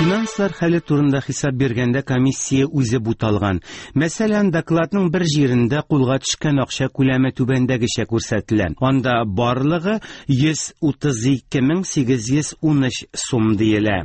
Финанслар хәле турында хисап биргәндә комиссия үзе буталган. Мәсәлән, докладның бер җирендә кулга төшкән акча күләме түбәндәгечә күрсәтелә. Анда барлыгы 132 813 сум диелә.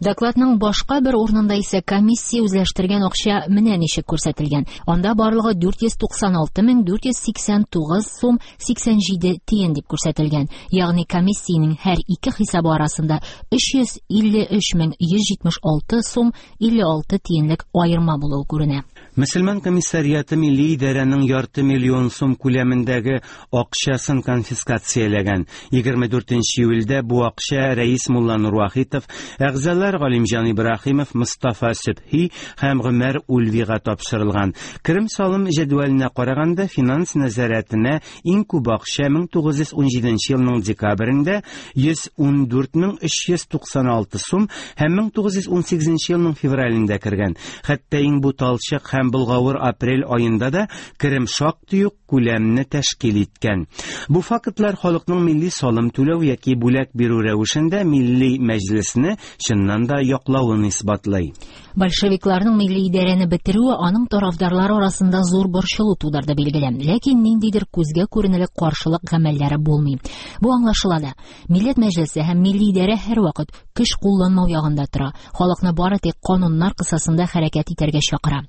Докладның башка бер урынында исә комиссия үзләштергән акча менә ничек күрсәтелгән. Анда барлыгы 496 489 сум 87 тиен дип күрсәтелгән. Ягъни комиссиянең һәр ике хисабы арасында 353 176 сум 56 тиенлек аерма булуы күренә. Мөселман комиссариаты милли идарәнең ярты миллион сум күләмендәге акчасын конфискацияләгән. 24 июльдә бу акча рәис Мулла Нурвахитов, әгъзалар Галимҗан Ибраһимов, Мостафа Сөбхи һәм Гомәр Ульвига тапшырылган. Керем салым җәдвәленә караганда, финанс нәзарәтенә Иң күп акча 1917 елның декабрендә 114 396 сум һәм 1918 елның февралендә кергән. Хәтта иң буталчык һәм болгавыр апрель аенда да керем шактый ук күләмне тәшкил иткән. Бу фактлар халыкның милли салым түләү яки бүләк бирү рәвешендә милли мәҗлесне чыннан да яклавын исбатлый. Большевикларның милли идарәне бетерүе аның тарафдарлары арасында зур борчылу тудырды, билгеле. Ләкин ниндидер күзгә күренерлек каршылык гамәлләре булмый. Бу аңлашыла да. Милләт мәҗлесе һәм милли идарә һәрвакыт көч кулланмау ягында тора. Халыкны бары тик кануннар кысасында хәрәкәт итәргә чакыра.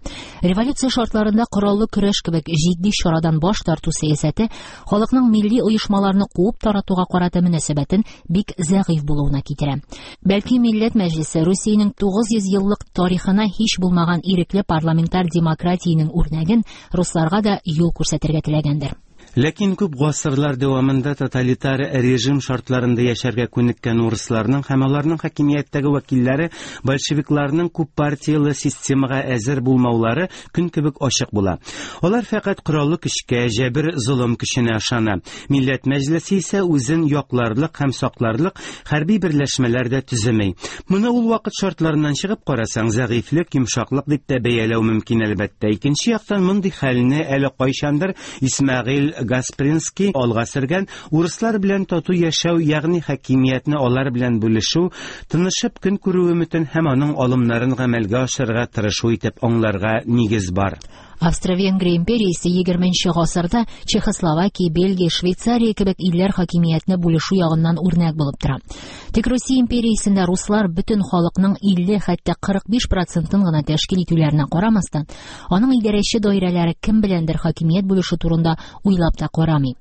Революция шартларында кораллы көрәш кебек җитди чарадан баш тарту сәясәте халыкның милли оешмаларны куып таратуга карата мөнәсәбәтен бик зәгыйфь булуына китерә. Бәлки Милләт Мәҗлесе Русиянең 900 еллык тарихына һич булмаган ирекле парламентар демократиянең үрнәген русларга да юл күрсәтергә теләгәндер. Ләкин күп гасырлар дәвамында тоталитар режим шартларында яшәргә күнеккән урысларның һәм аларның хакимияттәге вәкилләре большевикларның күппартияле системага әзер булмаулары көн кебек ачык була. Алар фәкать кораллы көчкә, җәбер-золым көченә ышана. Милләт Мәҗлесе исә үзен якларлык һәм сакларлык хәрби берләшмәләр дә төземи. Моны ул вакыт шартларыннан чыгып карасаң, зәгыйфьлек, йомшаклык дип тә бәяләү мөмкин, әлбәттә. Икенче яктан, мондый хәлне әле кайчандыр Исмәгыйль Гаспринский алга сөргән урыслар белән тату яшәү, ягъни хакимиятне алар белән бүлешү, тынышып көн күрү өметен һәм аның алымнарын гамәлгә ашырырга тырышу итеп аңларга нигез бар. Австро-Венгрия империясе 20 нче гасырда Чехословакия, Бельгия, Швейцария кебек илләр хакимиятне бүлешү ягыннан үрнәк булып тора. Тик Русия империясендә руслар бөтен халыкның 50, хәтта 45 процентын гына тәшкил итүләренә карамастан, аның идарәче даирәләре кем беләндер хакимият бүлешү турында уйлап та карамый.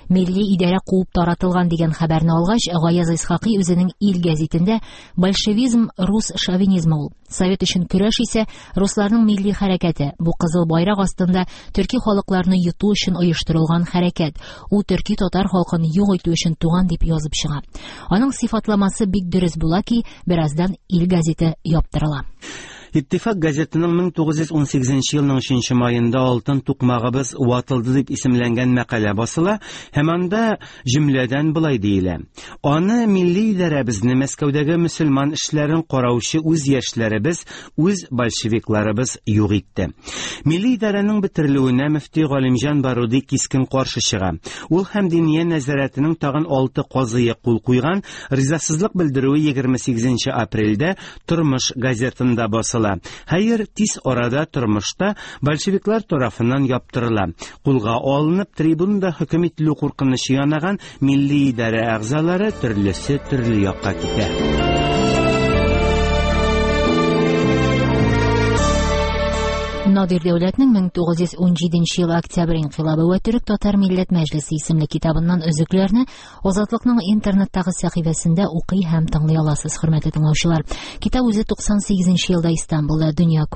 Милли идарә куып таратылган дигән хәбәрне алгач, Гаяз Исхакый үзенең Ил гәзитендә «Большевизм рус шовинизмы ул. Совет өчен көрәш исә русларның милли хәрәкәте. Бу кызыл байрак астында төрки халыкларны йоту өчен оештырылган хәрәкәт. Ул төрки-татар халкын юк итү өчен туган дип язып чыга. Аның сыйфатламасы бик дөрес була ки, бераздан Ил гәзите яптырыла. Иттифак газетының 1918 елның 3 маенда Алтын тукмагыбыз ватылды дип исемләнгән мәкалә басыла һәм анда җөмләдән болай диелә. Аны милли идарәбезне Мәскәүдәге мөселман эшләрен караучы үз яшьләребез, үз большевикларыбыз юк итте. Милли идарәнең бетерелүенә мөфти Галимҗан Баруди кискен каршы чыга. Ул һәм Диния нәзарәтенең тагын алты казые кул куйган ризасызлык белдерүе 28 апрельдә Тормыш газетында басыла. Хәер, тиз арада тормышта большевиклар тарафыннан яптырыла. Кулга алынып, трибунада хөкем ителү куркынычы янаган милли идарә әгъзалары төрлесе төрле якка китә. Надир Дәүләтнең 1917 ел октябрь инкыйлабы вә төрек-татар милләт мәҗлесе исемле китабыннан өзекләрне Азатлыкның интернеттагы сәхифәсендә укый һәм тыңлый аласыз, хөрмәтле тыңлаучылар. Китап үзе 98 нче елда Истанбулда дөнья